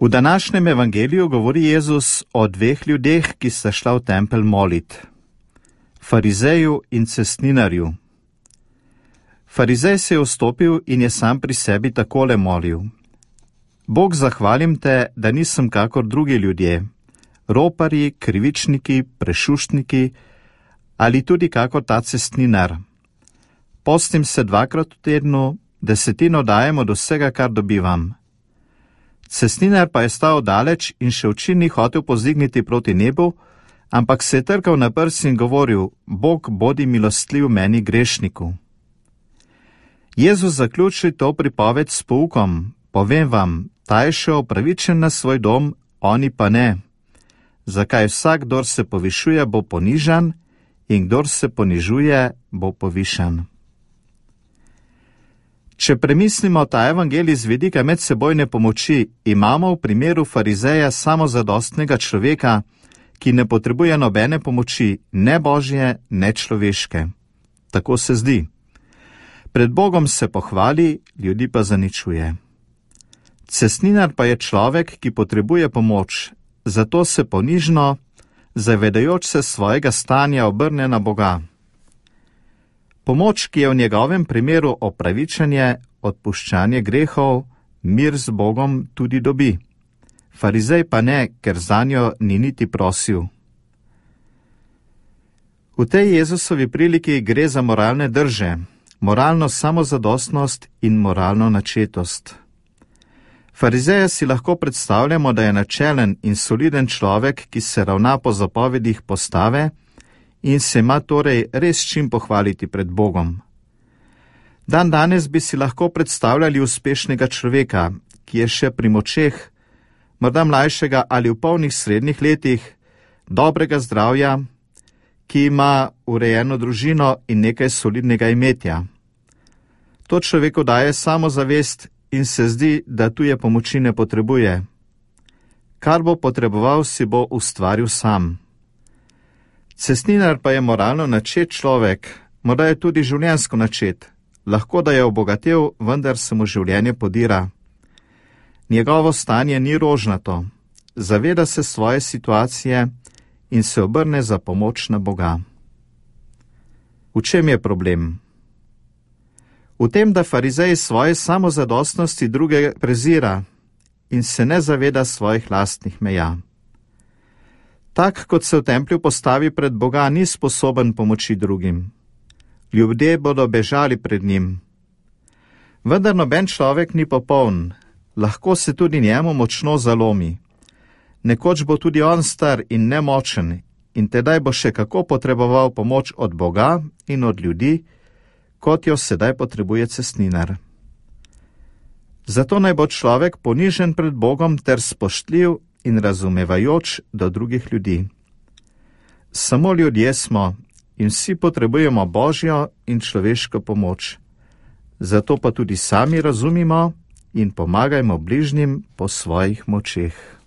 V današnjem evangeliju govori Jezus o dveh ljudeh, ki sta šla v tempelj molit. Farizeju in cestninarju. Farizej se je vstopil in je sam pri sebi takole molil. Bog, zahvalim te, da nisem kakor drugi ljudje, roparji, krivičniki, prešuštniki ali tudi kakor ta cestninar. Postim se 2krat v tednu, 10 dajem od vsega, kar dobivam. Cestninar pa je stal daleč in še oči ni hotel pozdigniti proti nebu, ampak se je trkal na prsi in govoril: Bog, bodi milostljiv meni grešniku. Jezus zaključi to pripoved s poukom: povem vam, ta je šel upravičen na svoj dom, oni pa ne. Zakaj vsak, kdor se povišuje, bo ponižan, in kdor se ponižuje, bo povišan. Če premislimo ta evangelij z vidika medsebojne pomoči, imamo v primeru farizeja samozadostnega človeka, ki ne potrebuje nobene pomoči, ne božje, ne človeške. Tako se zdi. Pred Bogom se pohvali, ljudi pa zaničuje. Cestninar pa je človek, ki potrebuje pomoč, zato se ponižno, zavedajoč se svojega stanja, obrne na Boga. Pomoč, ki je v njegovem primeru opravičenje, odpuščanje grehov, mir z Bogom tudi dobi. Farizej pa ne, ker zanjo ni niti prosil. V tej Jezusovi priliki gre za moralne drže, moralno samozadostnost in moralno načetost. Farizeja si lahko predstavljamo, da je načelen in soliden človek, ki se ravna po zapovedih postave in se ima torej res čim pohvaliti pred Bogom. Dan danes bi si lahko predstavljali uspešnega človeka, ki je še pri močeh, morda mlajšega ali v polnih srednjih letih, dobrega zdravja, ki ima urejeno družino in nekaj solidnega imetja. To človeku daje samozavest in se zdi, da tuje pomoči ne potrebuje. Kar bo potreboval, si bo ustvaril sam. Cestninar pa je moralno načet človek, morda je tudi življenjsko načet. Lahko da je obogatel, vendar se mu življenje podira. Njegovo stanje ni rožnato, zaveda se svoje situacije in se obrne za pomoč na Boga. V čem je problem? V tem, da farizej svoje samozadostnosti druge prezira in se ne zaveda svojih lastnih meja. Tak, kot se v templju postavi pred Boga, ni sposoben pomoči drugim. Ljudje bodo bežali pred njim. Vendar noben človek ni popoln, lahko se tudi njemu močno zalomi. Nekoč bo tudi on star in nemočen in tedaj bo še kako potreboval pomoč od Boga in od ljudi, kot jo sedaj potrebuje cestninar. Zato naj bo človek ponižen pred Bogom ter spoštljiv in razumevajoč do drugih ljudi. Samo ljudje smo in vsi potrebujemo božjo in človeško pomoč. Zato pa tudi sami razumimo in pomagajmo bližnjim po svojih močeh.